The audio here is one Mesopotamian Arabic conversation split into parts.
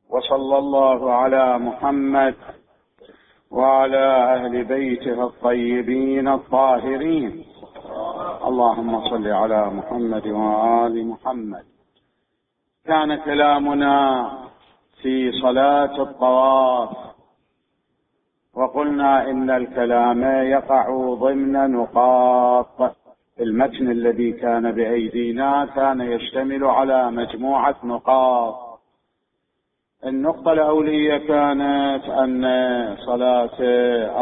وصلى الله على محمد وعلى أهل بيته الطيبين الطاهرين. اللهم صل على محمد وآل محمد. كان كلامنا في صلاة الطواف، وقلنا إن الكلام يقع ضمن نقاط. المتن الذي كان بأيدينا كان يشتمل على مجموعة نقاط. النقطة الأولية كانت أن صلاة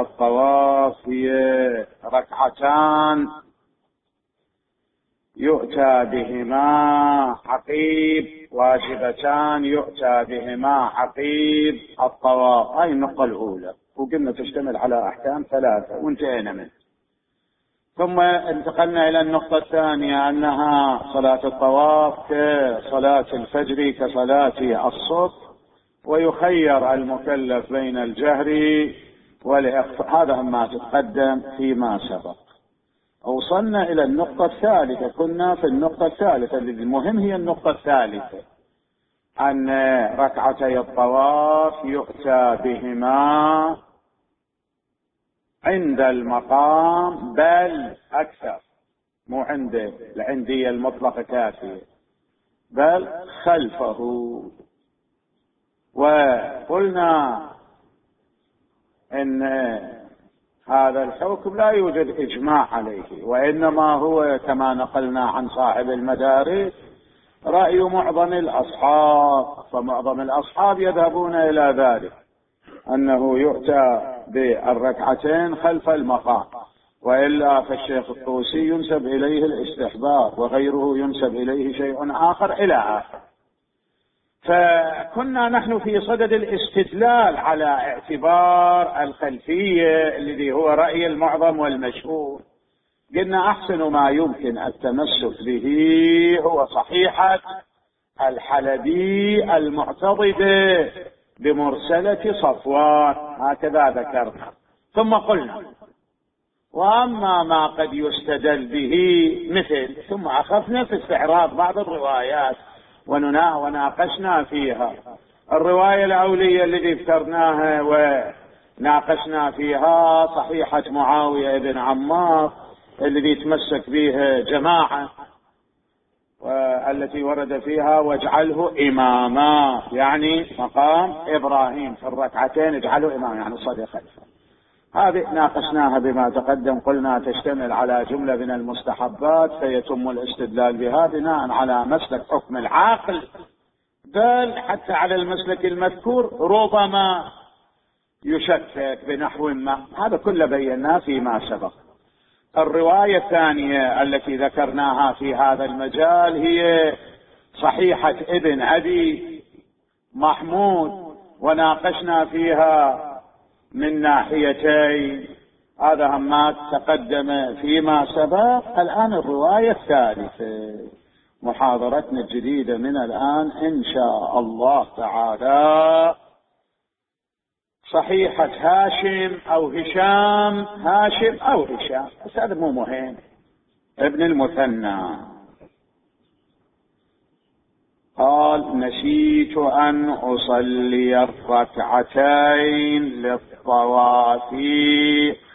الطواف هي ركعتان يؤتى بهما عقيب، واجبتان يؤتى بهما عقيب الطواف. هاي النقطة الأولى، وقلنا تشتمل على أحكام ثلاثة وانتهينا منه. ثم انتقلنا إلى النقطة الثانية، أنها صلاة الطواف كصلاة الفجر كصلاة الصبح، ويخير المكلف بين الجهر والإخفاء. هذا ما تقدم فيما سبق. وصلنا إلى النقطة الثالثة، كنا في النقطة الثالثة. المهم هي النقطة الثالثة، أن ركعتي الطواف يؤتى بهما عند المقام، بل أكثر، مو عنده العندية المطلقة كافية، بل خلفه. وقلنا إن هذا الحكم لا يوجد إجماع عليه، وإنما هو كما نقلنا عن صاحب المدارس رأي معظم الأصحاب. فمعظم الأصحاب يذهبون إلى ذلك، أنه يؤتى بالركعتين خلف المقام، وإلا فالشيخ الطوسي ينسب إليه الاستحباب، وغيره ينسب إليه شيء آخر إلى آخر. فكنا نحن في صدد الاستدلال على اعتبار الخلفية الذي هو رأي المعظم والمشهور. قلنا أحسن ما يمكن التمسك به هو صحيحة الحلبي المعتضدة بمرسلة صفوان، هكذا ذكرنا. ثم قلنا وأما ما قد يستدل به مثل، ثم أخذنا في استعراض بعض الروايات وناقشنا فيها. الرواية الأولية التي ذكرناها وناقشنا فيها صحيحة معاوية بن عمار الذي تمسك بها جماعة، والتي ورد فيها واجعله إماما، يعني مقام إبراهيم في الركعتين اجعله إماما، يعني صلي خلفه. هذه ناقشناها بما تقدم، قلنا تشتمل على جملة من المستحبات، فيتم الاستدلال بها بناء على مسلك حكم العاقل، بل حتى على المسلك المذكور ربما يشكك بنحو ما. هذا كله بيناه فيما سبق. الرواية الثانية التي ذكرناها في هذا المجال هي صحيحة ابن أبي محمود، وناقشنا فيها من ناحيتين. هذا ما تقدم فيما سبق. الآن الرواية الثالثة، محاضرتنا الجديدة من الآن إن شاء الله تعالى، صحيحة هاشم أو هشام، هاشم أو هشام، بس هذا مو مهم، ابن المثنى قال: نسيت أن أصلي الركعتين للطواف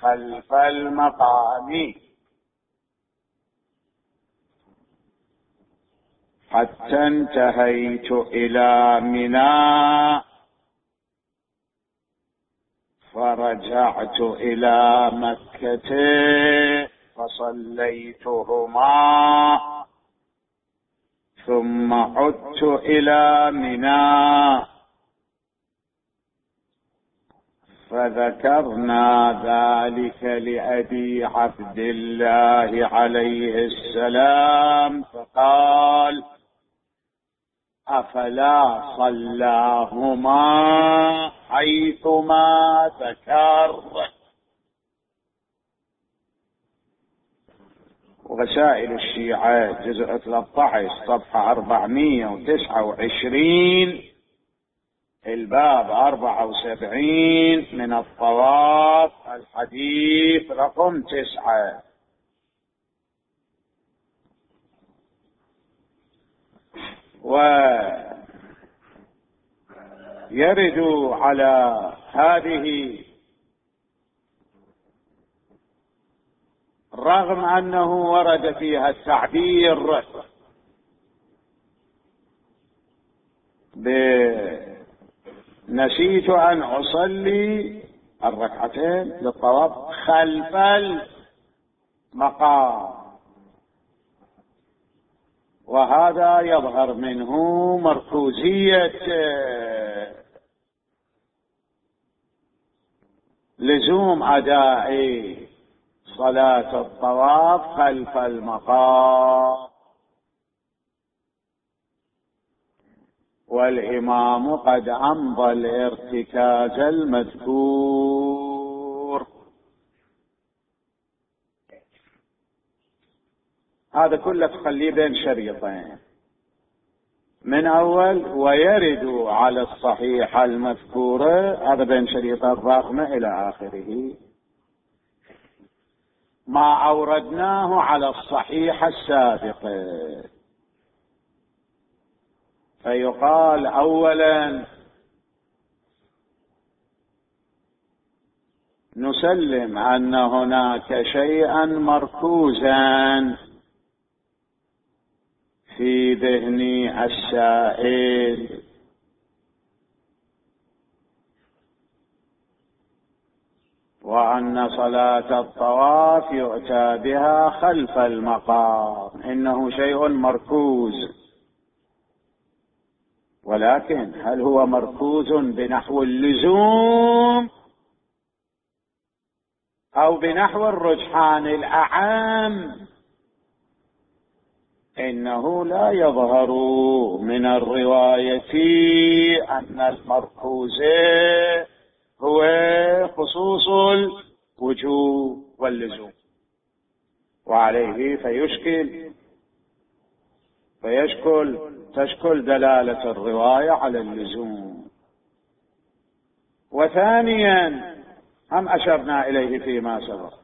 خلف المقام حتى انتهيت إلى منى، فرجعت إلى مكة فصليتهما، ثم عدت إلى منى. فذكرنا ذلك لأبي عبد الله عليه السلام، فقال: أفلا صلاهما حيثما ذكر. رسائل الشيعة جزء 13 صفحة 429 الباب 74 من الطواف الحديث رقم 9. يرد على هذه رغم أنه ورد فيها التعبير نسيت أن أصلي الركعتين للطواف خلف المقام، وهذا يظهر منه مركوزية لزوم أداء صلاة الطواف خلف المقام، والإمام قد أمضى الارتكاز المذكور. هذا كله تخليه بين شريطين، من أول ويرد على الصحيح المذكورة، هذا بين شريطين الرقم إلى آخره، ما أوردناه على الصحيح السابق. فيقال أولا نسلم أن هناك شيئا مركوزا في ذهن السائل، وأن صلاة الطواف يؤتى بها خلف المقام، إنه شيء مركوز. ولكن هل هو مركوز بنحو اللزوم أو بنحو الرجحان الأعم؟ إنه لا يظهر من الرواية أن المركوز هو خصوص الوجوب واللزوم، وعليه تشكل دلالة الرواية على اللزوم. وثانيا هم أشرنا إليه فيما سبق،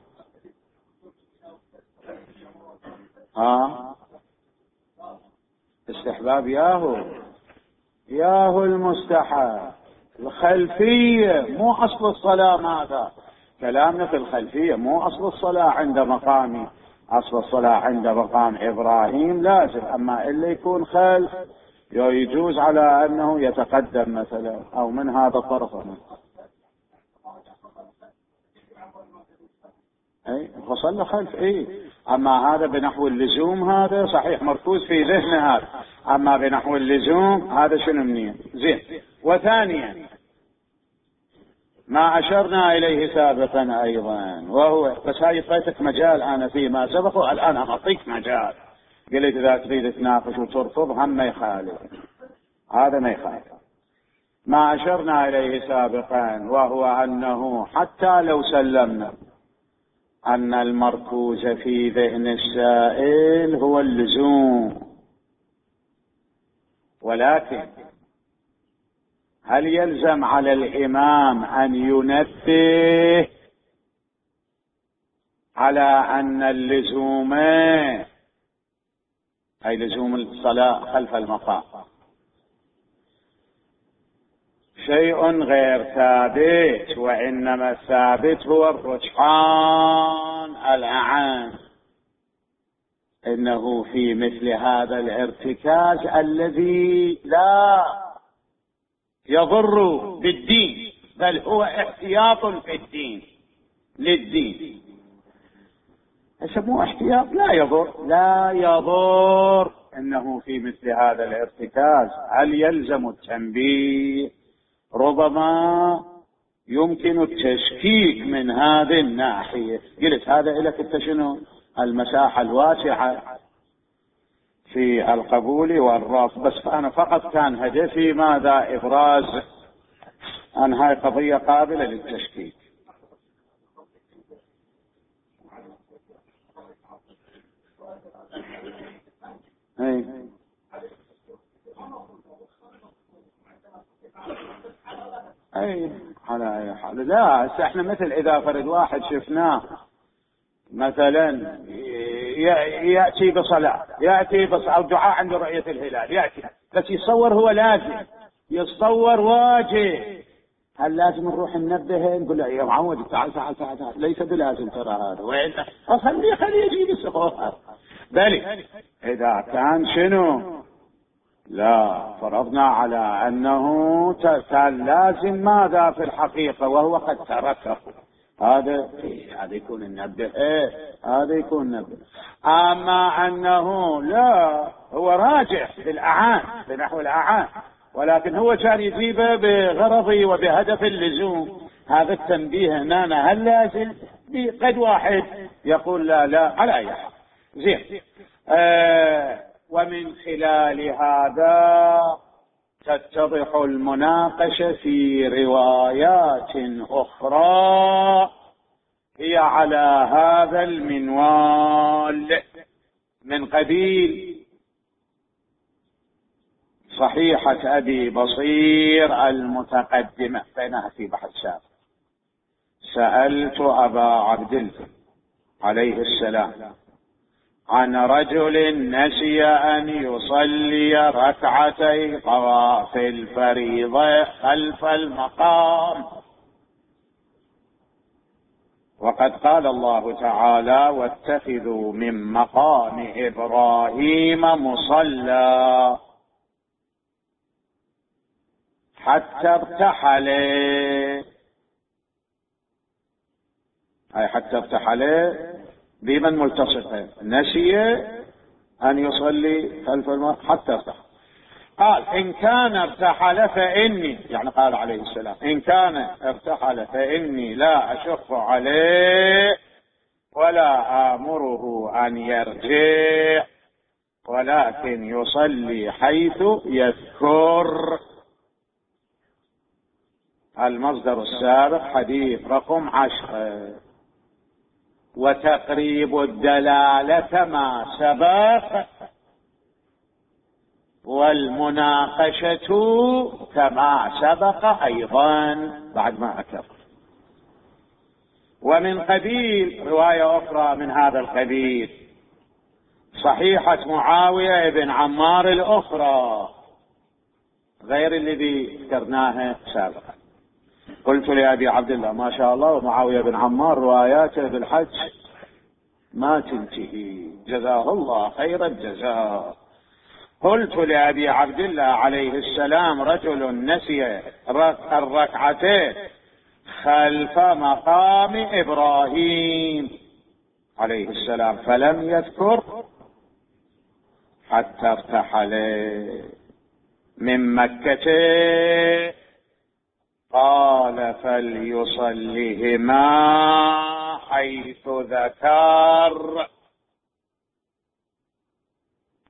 استحباب ياهو المستحب، الخلفية مو أصل الصلاة. ماذا كلامنا في الخلفية؟ مو أصل الصلاة عند مقامي، أصل الصلاة عند مقام إبراهيم لازم، أما إلا يكون خلف يجوز على أنه يتقدم مثلا أو من هذا الطرف. فصل خلف أما هذا بنحو اللزوم هذا صحيح مركوز في ذهن هذا، أما بنحو اللزوم هذا شنو منين زين. وثانيا ما أشرنا إليه سابقا أيضا، وهو بس هاي فاتك مجال أنا فيما سبق، والآن أعطيك مجال، قلت إذا تريد تناقش وترفض هم ما يخالف، هذا ما يخالف. ما أشرنا إليه سابقا وهو أنه حتى لو سلمنا أن المركوز في ذهن السائل هو اللزوم، ولكن هل يلزم على الإمام أن ينبه على أن اللزوم أي لزوم الصلاة خلف المقام شيء غير ثابت، وإنما الثابت هو الرجحان الأعم، إنه في مثل هذا الارتكاز الذي لا يضر بالدين بل هو احتياط في الدين للدين، يسموه احتياط لا يضر، إنه في مثل هذا الارتكاز هل يلزم التنبيه؟ ربما يمكن التشكيك من هذه الناحية. قلت هذا لك انت شنو المساحة الواسعة في القبول والرفض، بس أنا فقط كان هدفي ماذا؟ إبراز أن هاي قضية قابلة للتشكيك. على أي حال لا، احنا مثل إذا فرد واحد شفناه مثلا يأتي بصلاة، أو دعاء عند رؤية الهلال، يأتي بس يصور هو لازم يتصور واجه. هل لازم نروح ننبهه نقول له يا معود تعال تعال تعال تعال؟ ليس بلازم ترى هذا، وين خليه يجيب السخوف. بل إذا كان شنو لا فرضنا على أنه كان لازم ماذا في الحقيقة وهو قد تركه، هذا يكون النبه، هذا يكون نبه. أما أنه لا هو راجع بالأعان بنحو الأعان، ولكن هو كان يجيبه بغرضي وبهدف اللزوم، هذا التنبيه هنا هل لازم؟ قد واحد يقول لا لا على أي حال. زين. ومن خلال هذا تتضح المناقشة في روايات أخرى هي على هذا المنوال، من قبيل صحيحة أبي بصير المتقدمة بينها في بحث سابق. سألت أبا عبد الله عليه السلام عن رجل نسي أن يصلي ركعتي طواف الفريضة خلف المقام، وقد قال الله تعالى واتخذوا من مقام إبراهيم مصلى حتى ارتحل، أي حتى ارتحل بمن ملتصقين، نسي أن يصلي خلف المقام حتى ارتحل. قال إن كان ارتحل فإني، يعني قال عليه السلام إن كان ارتحل فإني لا أشق عليه ولا آمره أن يرجع، ولكن يصلي حيث يذكر. المصدر السابق حديث رقم 10. وتقريب الدلالة ما سبق، والمناقشة كما سبق أيضا بعد ما أكبر. ومن قبيل رواية أخرى من هذا القبيل صحيحة معاوية بن عمار الأخرى غير الذي ذكرناها سابقا. قلت لأبي عبد الله ما شاء الله ومعاوية بن عمار رواياته بالحج ما تنتهي، جزاه الله خير الجزاء. قلت لأبي عبد الله عليه السلام رجل نسي الركعتين خلف مقام إبراهيم عليه السلام فلم يذكر حتى ارتحل من مكة، قال فليصلهما حيث ذكر،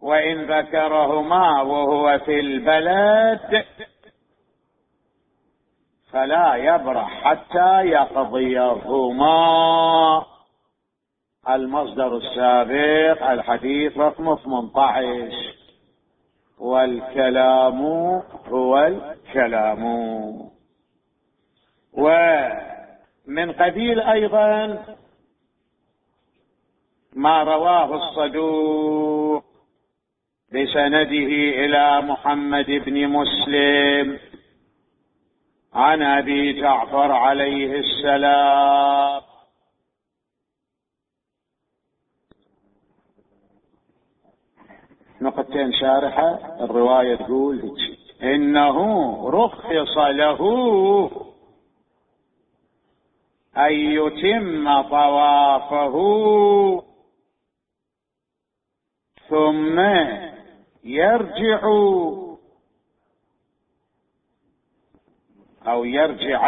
وإن ذكرهما وهو في البلد فلا يبرح حتى يقضيهما. المصدر السابق الحديث رقم 18. والكلام هو الكلام. ومن قبيل أيضا ما رواه الصدوق بسنده إلى محمد بن مسلم عن أبي جعفر عليه السلام نقطتين شارحة. الرواية تقول إنه رخص له أن يتم طوافه ثم يرجع أو يرجع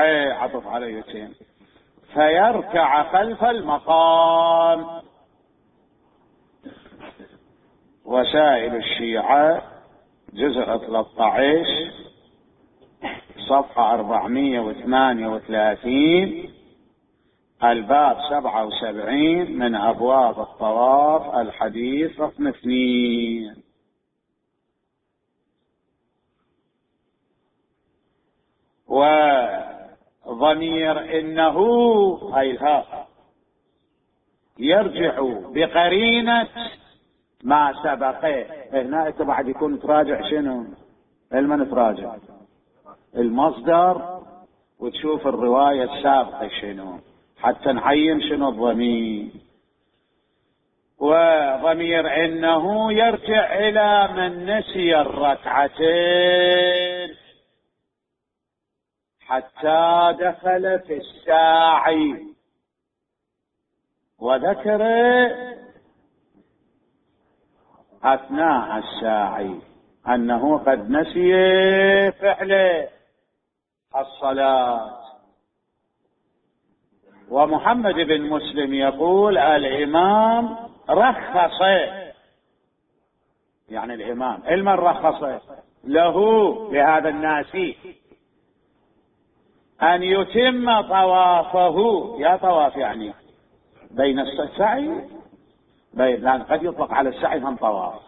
عطف على يتم فيركع خلف المقام. وسائل الشيعة جزء 13 صفحة 438 الباب 77 من أبواب الطواف الحديث رقم 2. وضمير إنه أي الهاء يرجع بقرينة ما سبقه. هنا بعد يكون تراجع شنو؟ علما تراجع المصدر وتشوف الرواية السابقة شنو، حتى نعين شنو الضمير. وضمير إنه يرجع إلى من نسي الركعتين حتى دخل في الساعي وذكر أثناء الساعي أنه قد نسي فعل الصلاة. ومحمد بن مسلم يقول الإمام رخص، يعني الإمام المن رخص له لهذا الناسي أن يتم طوافه. يا طواف يعني بين السعي، لأن قد يطلق على السعي هم طواف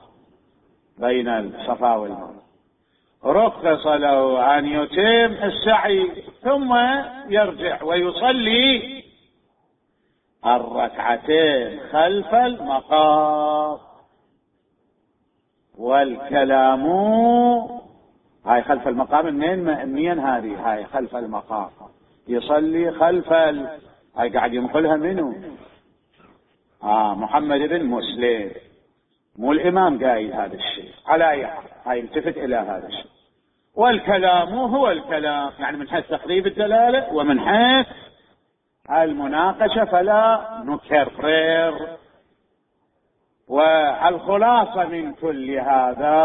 بين الصفا والمروة. رخص له أن يتم السعي ثم يرجع ويصلي الركعتين خلف المقام. والكلام هاي خلف المقام منين هاي خلف المقام يصلي خلف هاي قاعد ينقلها منه محمد بن مسلم، مو الإمام قايل هذا الشيء. على أي حال هاي التفت إلى هذا الشيء. والكلام هو الكلام، يعني من حيث تقريب الدلالة ومن حيث المناقشة فلا نكرر. والخلاصة من كل هذا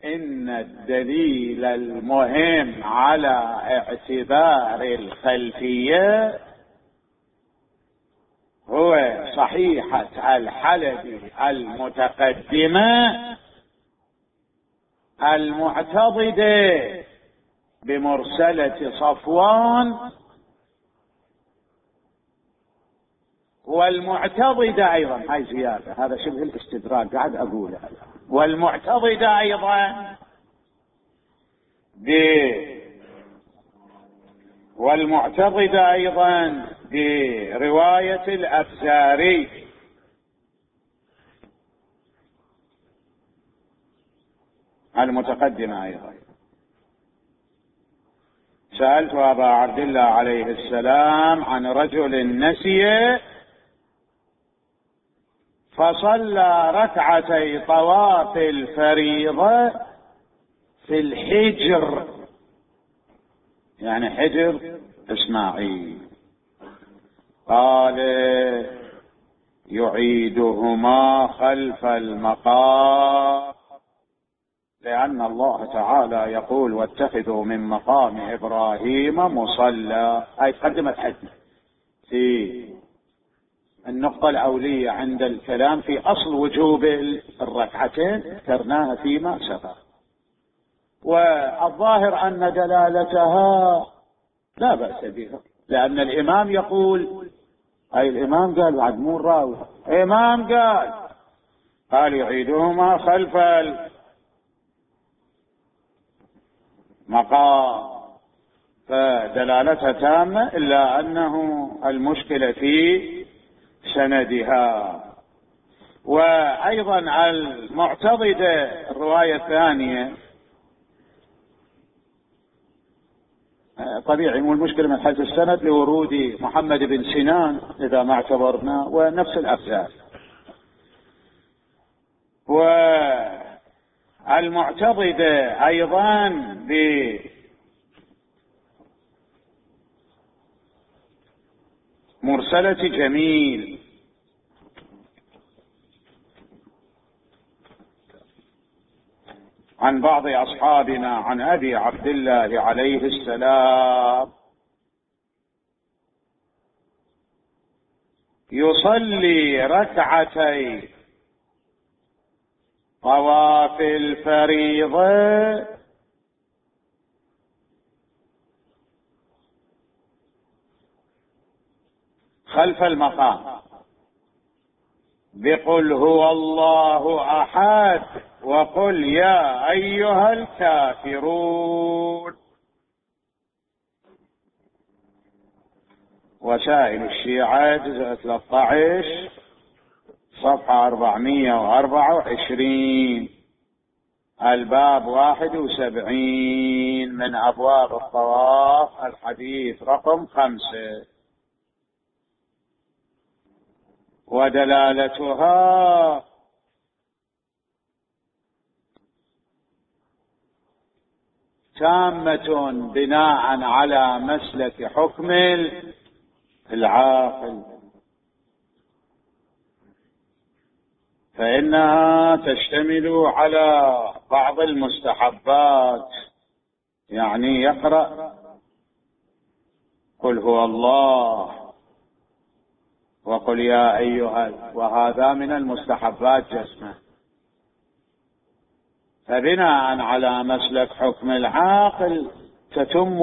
إن الدليل المهم على اعتبار الخلفية هو صحيحة الحلبي المتقدمة المعتضدة بمرسلة صفوان، والمعتضدة أيضا، هاي زيادة، هذا شبه الاستدراك قاعد أقولها، والمعتضدة أيضا برواية الأفزاري. المتقدمة أيضا. سألت أبا عبد الله عليه السلام عن رجل نسي فصلى ركعتي طواف الفريضة في الحجر، يعني حجر إسماعيل، قال يعيدهما خلف المقام، لأن الله تعالى يقول واتخذوا من مقام إبراهيم مصلى. هاي تقدمت حدنا في النقطة الأولية عند الكلام في أصل وجوب الركعتين، ذكرناها فيما سبق. والظاهر أن دلالتها لا بأس بها، لأن الإمام يقول، أي الإمام قال بعد مو الراوي، إمام قال يعيدهما خلف المقام، فدلالتها تامة، إلا أنه المشكلة في سندها. وأيضا المعتضدة الرواية الثانية طبيعي مو المشكلة من حيث السند لورود محمد بن سنان إذا ما اعتبرنا، ونفس الأفزار. والمعتضدة أيضا بمرسلة جميل عن بعض أصحابنا عن أبي عبد الله عليه السلام يصلي ركعتي طواف الفريضة خلف المقام بقل هو الله أحد وقل يا أيها الكافرون. وسائل الشيعة جزء 13 صفحة 424. الباب 71 من أبواب الطواف، الحديث رقم 5. ودلالتها تامة بناء على مسلك حكم العاقل، فإنها تشتمل على بعض المستحبات، يعني يقرأ قل هو الله وقل يا أيها، وهذا من المستحبات جسمه. فبناء على مسلك حكم العاقل تتم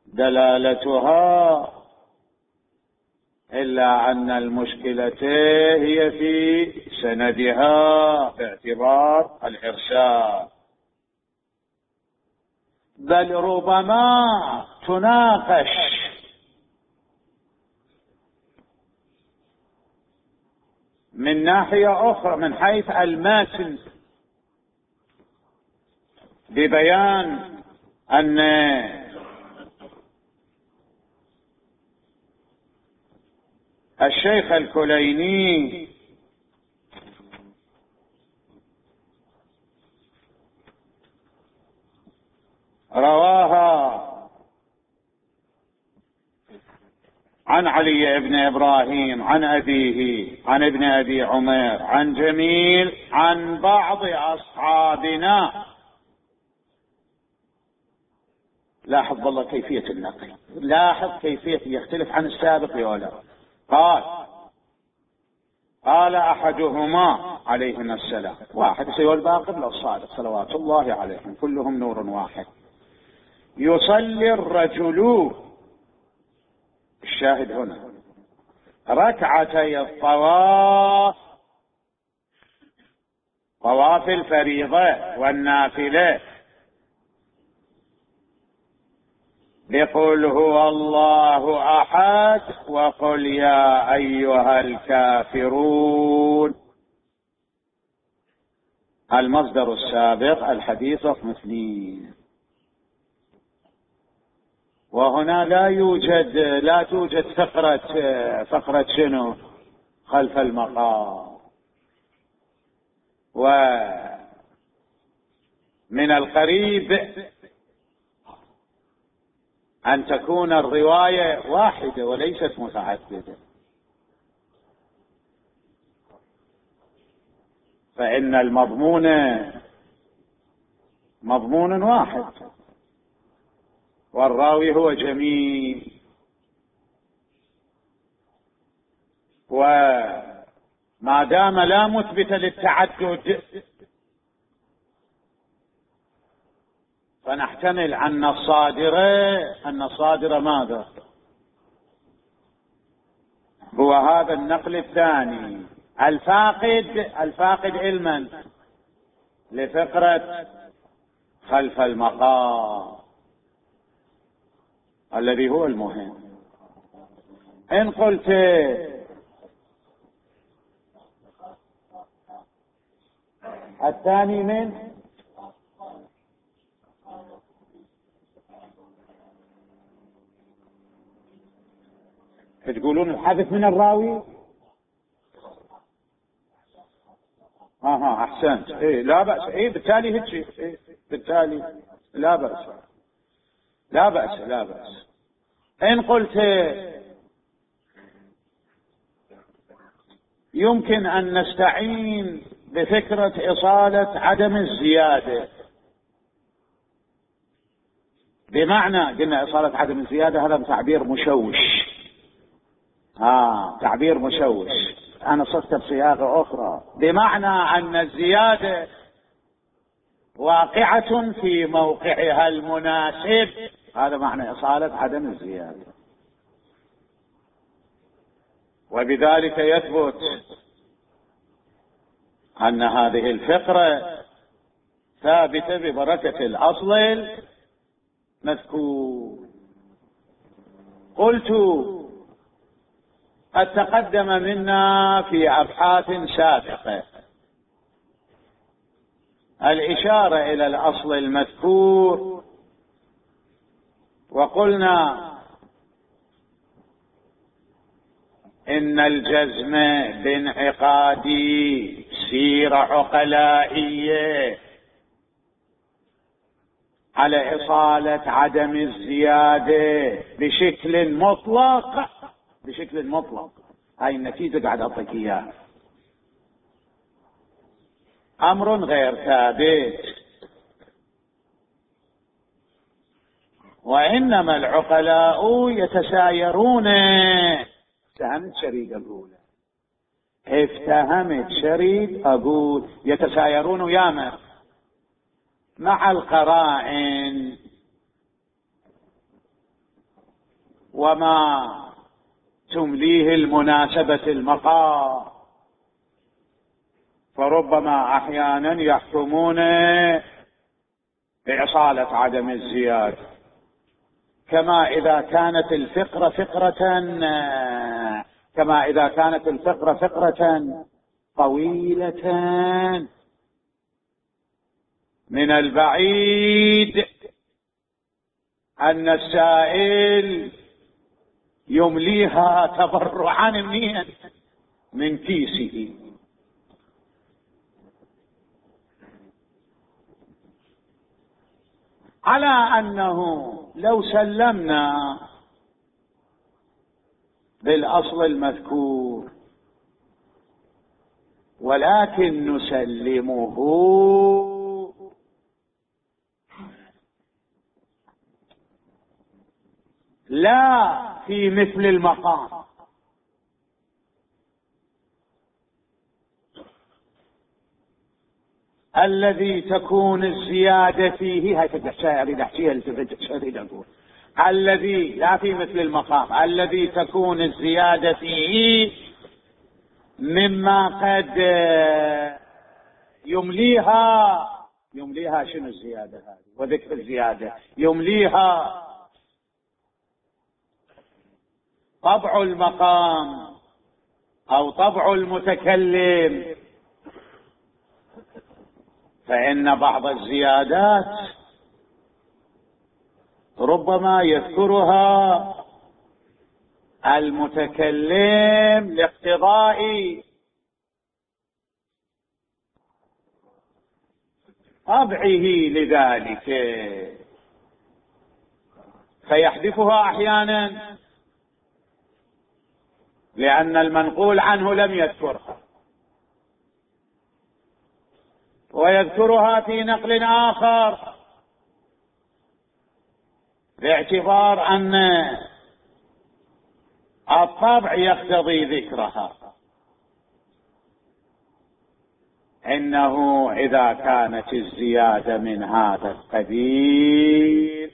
دلالتها، إلا أن المشكلة هي في سندها باعتبار الإرسال، بل ربما تناقش من ناحية أخرى من حيث المتن، ببيان أن الشيخ الكليني رواها عن علي بن إبراهيم عن أبيه عن ابن أبي عمير عن جميل عن بعض أصحابنا. لاحظ والله كيفية النقل، لاحظ كيفية يختلف عن السابق ولا. قال أحدهما عليهما السلام، واحد سوى الباقر لو الصادق صلوات الله عليهم كلهم نور واحد، يصلي الرجل، الشاهد هنا، ركعتي الطواف، طواف الفريضة والنافلة، بقل هو الله أحد وقل يا أيها الكافرون. المصدر السابق الحديث رقم 2. وهنا لا توجد فقرة شنو خلف المقام. ومن القريب أن تكون الرواية واحدة وليست متعددة، فإن المضمون مضمون واحد والراوي هو جميل، وما دام لا مثبت للتعدد فنحتمل أن الصادر ماذا هو هذا النقل الثاني الفاقد علما لفقرة خلف المقام الذي هو المهم. إن قلت الثاني من تقولون الحدث من الراوي، أحسنت، لا بأس، بالتالي هيك، بالتالي لا بأس. إن قلت يمكن أن نستعين بفكرة إصالة عدم الزيادة، بمعنى قلنا إصالة عدم الزيادة هذا تعبير مشوش، تعبير مشوش، أنا صرت بصياغة أخرى، بمعنى أن الزيادة واقعة في موقعها المناسب، هذا معنى إصالة عدم الزيادة. وبذلك يثبت أن هذه الفقرة ثابتة ببركة الأصل المذكور. قلت قد تقدم منا في أبحاث سابقة الإشارة إلى الأصل المذكور، وقلنا إن الجزم بانعقادي سيرة عقلائية على إصالة عدم الزيادة بشكل مطلق، بشكل مطلق. هاي النتيجة قاعد أعطيك إياها، أمر غير ثابت. وإنما العقلاء يتسايرون. افتهمت شريد أقول، افتهمت شريد أقول يتسايرون وياما مع القرائن وما تمليه المناسبة المقام، فربما أحيانا يحكمون بإصالة عدم الزيادة، كما إذا كانت الفقرة فقرة طويلة من البعيد أن السائل يمليها تبرعا من كيسه. على أنه لو سلمنا بالأصل المذكور ولكن نسلمه لا في مثل المقام، الذي تكون الزيادة فيه، هاي أريد أحكيها أقول الذي لا في مثل المقام، الذي تكون الزيادة فيه مما قد يمليها شنو الزيادة هذه وذكر الزيادة يمليها طبع المقام أو طبع المتكلم، فإن بعض الزيادات ربما يذكرها المتكلم لاقتضاء طبعه لذلك، فيحذفها أحيانا لأن المنقول عنه لم يذكرها، ويذكرها في نقل آخر باعتبار أن الطبع يقتضي ذكرها. إنه إذا كانت الزيادة من هذا القبيل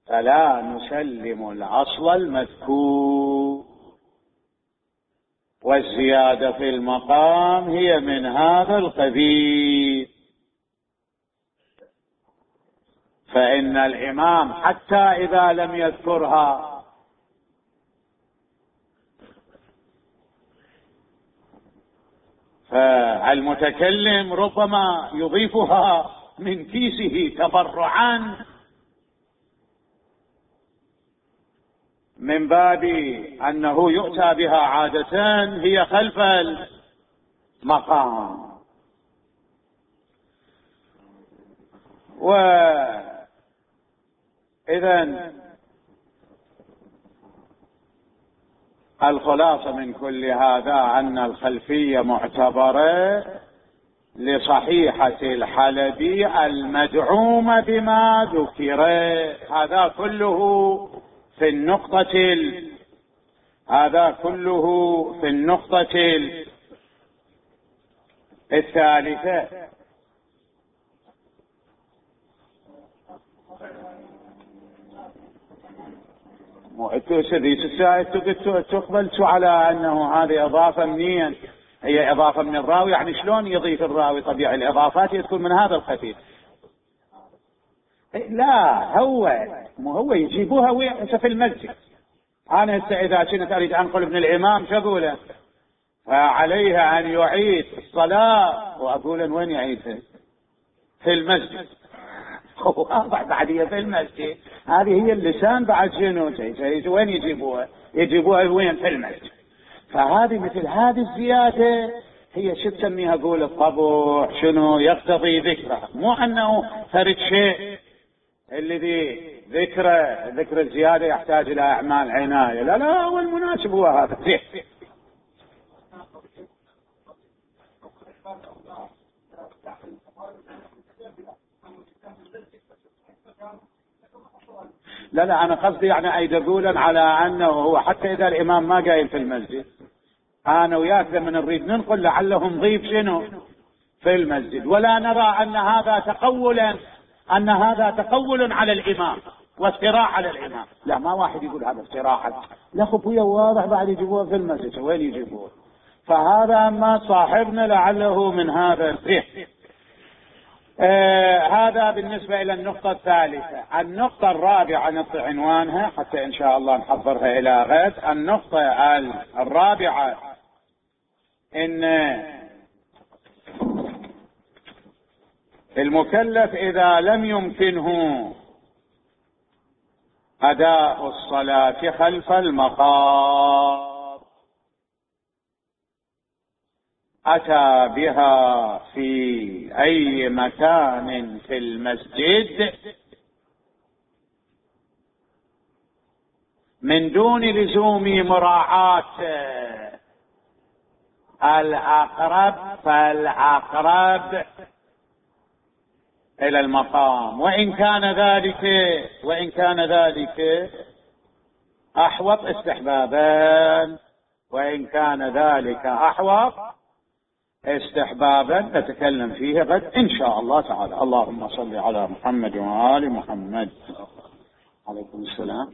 فلا نسلم الأصل المذكور، والزيادة في المقام هي من هذا القبيل، فإن الإمام حتى إذا لم يذكرها فالمتكلم ربما يضيفها من كيسه تبرعا من باب أنه يؤتى بها عادة هي خلف المقام. وإذن الخلاصة من كل هذا أن الخلفية معتبرة لصحيحة الحلبي المدعومة بما ذكر. هذا كله في النقطة الثالثة. تقبلت على أنه هذه إضافة منين؟ هي إضافة من الراوي، يعني شلون يضيف الراوي؟ طبيعي الإضافات تكون من هذا الخفيف. لا هو يجيبوها في المسجد. أنا هسه إذا كنت أريد أنقل ابن الإمام شو أقوله؟ فعليه أن يعيد الصلاة، وأقول وين يعيدها؟ في المسجد. واضح بعد هي في المسجد، هذه هي اللسان بعد شنو وين يجيبوها؟ يجيبوها وين؟ في المسجد. فهذه مثل هذه الزيادة هي شو تسميها؟ قول الطبع شنو يقتضي ذكره، مو انه فرد شيء الذي ذكر الزيادة يحتاج الى اعمال عناية. لا لا، هو المناسب هو هذا. لا لا، انا قصدي يعني اي دلولا على انه هو حتى اذا الامام ما قايل في المسجد، انا وياك لما نريد ننقل لعله نضيف شنو في المسجد، ولا نرى ان هذا تقول على الامام وافتراء على الامام. لا، ما واحد يقول هذا افتراء، لا خفية واضح بعد يجيبوها في المسجد، وين يجيبوها؟ فهذا ما صاحبنا لعله من هذا الفهم. هذا بالنسبة إلى النقطة الثالثة. النقطة الرابعة نعطي عنوانها حتى إن شاء الله نحضرها إلى غد. النقطة الرابعة إن المكلف إذا لم يمكنه أداء الصلاة خلف المقام أتى بها في أي مكان في المسجد من دون لزوم مراعاة الأقرب فالأقرب إلى المقام، وإن كان ذلك أحوط استحبابا، وإن كان ذلك أحوط استحبابا نتكلم فيه غد إن شاء الله تعالى. اللهم صل على محمد وآل محمد. عليكم السلام.